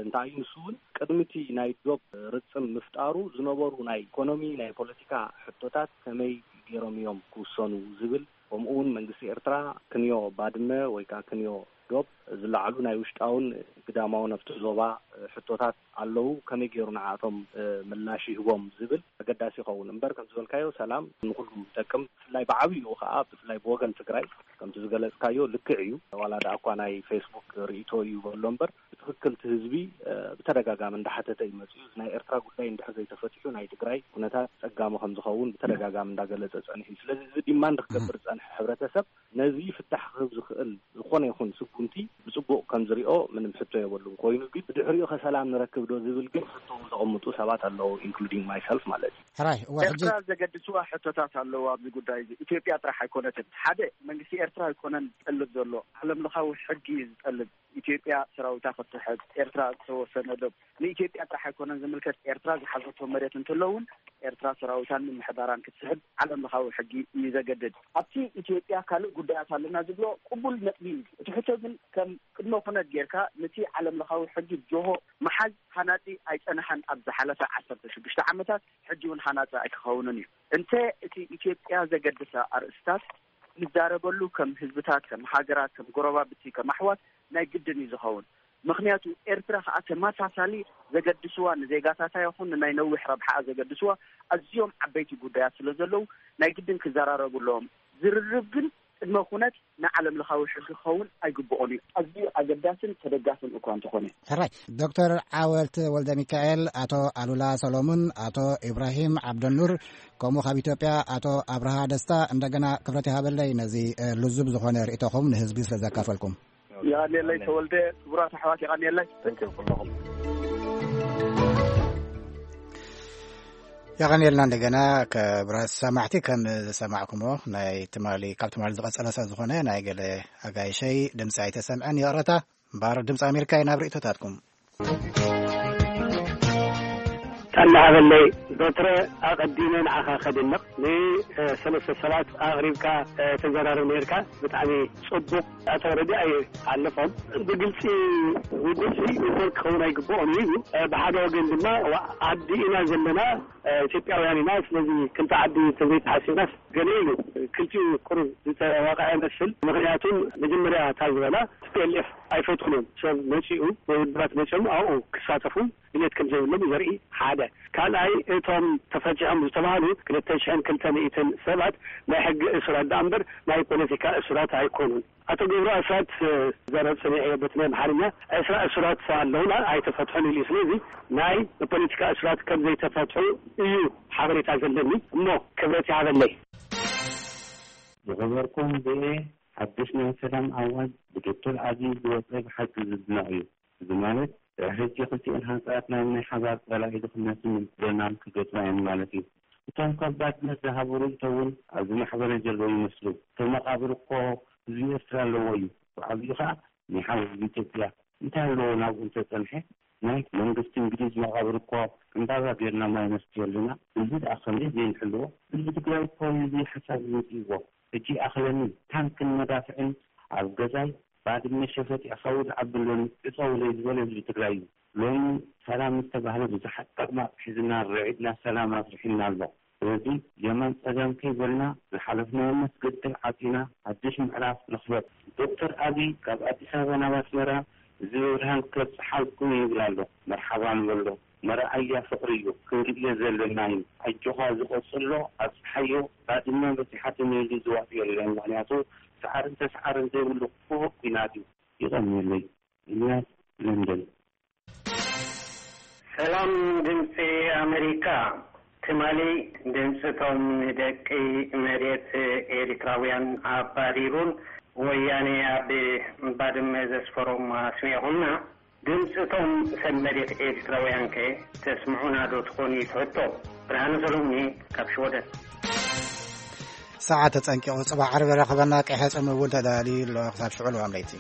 እንታይ እዩ ንሱ እውን ቅድሚ እቲ ናይ ዶብ ርፅም ምፍጣሩ ዝነበሩ ናይ ኢኮኖሚ ናይ ፖለቲካ ሕቶታት ከመይ ገይሮም እዮም ክውሰኑ ዝብል ከምኡ እውን መንግስቲ ኤርትራ ክንዮ ባድመ ወይ ከዓ ክንዮ ዶብ ዝለዓሉ ናይ ውሽጣውን ግዳማውን ኣብቲ ዞባ ሕቶታት ኣለዉ፣ ከመይ ገይሩ ንዓቶም ምላሽ ይህቦም ዝብል ኣገዳሲ ይኸውን። እምበር ከም ዝበልካዮ ሰላም ንኩሉ ይጠቅም። ብፍላይ ብዓብይኡ ከዓ ብፍላይ ብወገን ትግራይ ከምቲ ዝገለፅካዮ ልክዕ እዩ። ዋላ ደኣ እኳ ናይ ፌስቡክ ርእይቶ እዩ በሎ እምበር ብትኽክል እቲ ህዝቢ ብተደጋጋሚ እንዳሓተተ እዩ መፅዩ። ናይ ኤርትራ ጉዳይ እንድሕር ዘይተፈቲሑ ናይ ትግራይ ኩነታት ፀጋሚ ከም ዝኸውን ብተደጋጋሚ እንዳገለፀ ፀኒሑ እዩ። ስለዚ እዚ ዲማንድ ክገብር ዝፀንሐ ሕብረተሰብ ነዚ ፍታሕ ክህብ ዝኽእል ዝኾነ ይኹን ስጉምቲ ብፅቡቕ ከም ዝሪኦ ምንም ሕቶ የብሉን። ኮይኑ ግን ብድሕሪኡ ከ ሰላም ንረክብ ዶ ዝብል ግን ሕቶ ዘቐምጡ ሰባት ኣለዉ፣ including myself ማለት እዩ። ሕራይ እወ ሕጂ ኤርትራ ዘገድስዋ ሕቶታት ኣለዉ ኣብዚ ጉዳይ እዚ። ኢትዮጵያ ጥራሕ ኣይኮነትን። ሓደ መንግስቲ ኤርትራ ኣይኮነን ዝጠልብ ዘሎ፣ ዓለም ለኻዊ ሕጊ እዩ ዝጠልብ። ኢትዮጵያ ሰራዊታ ክትሕዝ፣ ኤርትራ ዝተወሰነ ዶብ ንኢትዮጵያ ጥራሕ ኣይኮነን ዝምልከት። ኤርትራ ዝሓዘቶ መሬት እንተሎ እውን ኤርትራ ሰራዊታን ምምሕዳራን ክትስሕብ ዓለም ለኻዊ ሕጊ እዩ ዘገድድ። ኣብቲ ኢትዮጵያ ካልእ ጉዳያት ኣለና ዝብሎ ቅቡል ነጥቢ እዩ። እቲ ሕቶ ግን ከም ቅድመ ኩነት ጌርካ ነቲ ዓለም ለኻዊ ሕጊ ጆሆ ምሓዝ ሃናጺ ኣይጸንሐን ኣብ ዝሓለፈ ዓሰርተ ሽዱሽተ ዓመታት፣ ሕጂ እውን ሃናጺ ኣይክኸውንን እዩ። እንተ እቲ ኢትዮጵያ ዘገድሳ ኣርእስታት ንዛረበሉ ከም ህዝብታት፣ ከም ሃገራት፣ ከም ጎረባብቲ፣ ከም ኣሕዋት ናይ ግድን እዩ ዝኸውን። ምኽንያቱ ኤርትራ ከኣ ተመሳሳሊ ዘገድስዋ ንዜጋታታ ይኹን ንናይ ነዊሕ ረብሓኣ ዘገድስዋ ኣዝዮም ዓበይቲ ጉዳያት ስለ ዘለዉ ናይ ግድን ክዘራረቡ ኣለዎም። ዝርርብ ግን ቅድመ ኩነት ንዓለም ለኻዊ ሕጊ ክኸውን ኣይግብኦን እዩ። ኣዝዩ ኣገዳስን ተደጋፍን እኳ እንተኾነ። ሕራይ ዶክተር ዓወት ወልደ ሚካኤል፣ ኣቶ ኣሉላ ሰሎሙን፣ ኣቶ ኢብራሂም ዓብደኑር ከምኡ ካብ ኢትዮጵያ ኣቶ ኣብርሃ ደስታ እንደገና ክብረት ይሃበለይ ነዚ ልዙብ ዝኾነ ርእይቶኹም ንህዝቢ ስለ ዘካፈልኩም። የቐንየለይ ተወልደ፣ ክቡራት ኣሕዋት የቐንየለይ። ርክብ ኩለኹም። የቐንየልና እንደገና ክቡራት ሰማዕቲ። ከም ዝሰማዕኩሞ ናይ ትማሊ ካብ ትማሊ ዝቐጸለ ሰብ ዝኾነ ናይ ገለ ኣጋይሸይ ድምፂ ኣይተሰምዐን ይቕረታ። እምበኣር ድምፂ ኣሜሪካ እዩ ናብ ርእይቶታትኩም። ጠናሃበለይ ዶትረ ኣቐዲመ ንዓኻ ከድንቕ ንሰለስተ ሰባት ኣቕሪብካ ተዘራርብ ነርካ። ብጣዕሚ ጽቡቕ። ኣቶ ረዲ ኣይሓልፎም ብግልጺ ውዱእ ሲ ሪፖርት ክኸውን ኣይግብኦን እዩ። ብሓደ ወገን ድማ ዓዲ ኢና ዘለና ኢትዮጵያውያን ኢና። ስለዚ ክልተ ዓዲ ትምኒት ሓሲብናስ ገለ ኢሉ ክልቲኡ ቁሩብ ዝተዋቕዐ መስል። ምኽንያቱም መጀመርያ እታ ዝበላ ቲ ፒ ኤል ኤፍ ኣይፈትኑን። ሰብ መጺኡ ወይ ውድባት መጺኦም ኣብኡ ክሳተፉ ድሌት ከም ዘይብሎም ዘርኢ ሓደ። ካልኣይ እቶም ተፈቲሖም ዝተባህሉ ክልተ ሽሕን ክልተ ሚእትን ሰባት ናይ ሕጊ እሱራት ደኣ እምበር ናይ ፖለቲካ እሱራት ኣይኮኑን። ኣቶ ገብሩ ኣስራት ዘረብ ሰሚዐዮ በቲ ናይ ኣምሓርኛ ዕስራ እሱራት ኣለውና ኣይተፈትሑን ኢሉ። ስለዚ ናይ ፖለቲካ እሱራት ከም ዘይተፈትሑ እዩ ሓበሬታ ዘለኒ እሞ ክብረት ይሃበለይ። ዝኸበርኩም ቪኦኤ ሓድሽ ናይ ሰላም ኣዋጅ ብዶክተር ኣብይ ዝወፀ ብሓቂ ዝድነቕ እዩ። እዚ ማለት ድሕሪ ሕጂ ክልቲኤን ሃገራት ናብ ናይ ሓባር ፀላኢ ድኽነትን ምድንጋርን ክገጥማ እየን ማለት እዩ። እቶም ከባድ መዘሃብሩ እንተውን ኣብዚ ማሕበረ ጀልቦ ይመስሉ። እቶም መቓብር እኮ ህዝቢ ኤርትራ ኣለዎ እዩ። ብዓብዩ ኸዓ ናይ ሓው ህዝቢ ኢትዮጵያ እንታይ ኣለዎ ናብኡ እንተፀንሐ ናይ መንግስቲ እንግሊዝ መቓብር እኮ ዕምባባ ጌርና ማይ ነስትየሉ ኢና። ህዝቢ ደኣ ከመይ ዘይንሕልዎ? ህዝቢ ትግራይ እኮ እዩ እዚ ሓሳብ ዝመፅእዎ። ሕጂ ይኣኽለኒ ታንክን መዳፍዕን ኣብ ገዛይ ባድመ ሸፈጥ ይኣኸው ዝዓቢ ኣሎኒ ዕፀውለይ ዝበለ ህዝቢ ትግራይ እዩ። ሎሚ ሰላም ዝተባህለ ብዙሓት ጠቕማጥ ሒዝና ርዒድና ሰላም ኣስሪሑና ኣሎ። ስለዚ የማን ፀጋም ከይበልና ዝሓለፍናዮ መስገድል ዓፂና ሓድሽ ምዕራፍ ንኽፈት። ዶክተር ኣብይ ካብ ኣዲስ ኣበባ ናብ ኣስመራ እዚ ብብርሃን ከብፅሓልኩም ይብል ኣሎ። መርሓባ ንበሎ። መርኣያ ፍቕሪ እዩ። ክንርእዮ ዘለና እዩ። ኣጆኻ እዚ ቀፅሎ ኣብፅሓዮ። ባድመ በፂሓትኒ ኢሉ ዝዋጥ የለን። ምኽንያቱ ሰዓርን ተስዓርን ዘይብሉ ክፉእ ኲናት እዩ። የቐንየለይ። ኢልያስ ለንደን። ሰላም ድምፂ ኣመሪካ። ትማሊ ድምፂ ቶም ንደቂ መሬት ኤሪትራውያን ኣባሪሩን ወያነ ኣብ ባድመ ዘስፈሮም ኣስሚዕኹምና። ድምፂ እቶም ሰብ መሬት ኤርትራውያን ከ ተስምዑና ዶ ትኾኑ እዩ ትሕቶ። ብርሃነ ሰሎሙን ካብ ሽወደን። ሰዓት ተጸንቂቑ፣ ጽባሕ ዓርቢ ረኸበና። ቀይሐ ጸም እውን ተዳልዩ ኣሎ። ክሳብ ሽዑ ልዋም ለይቲ።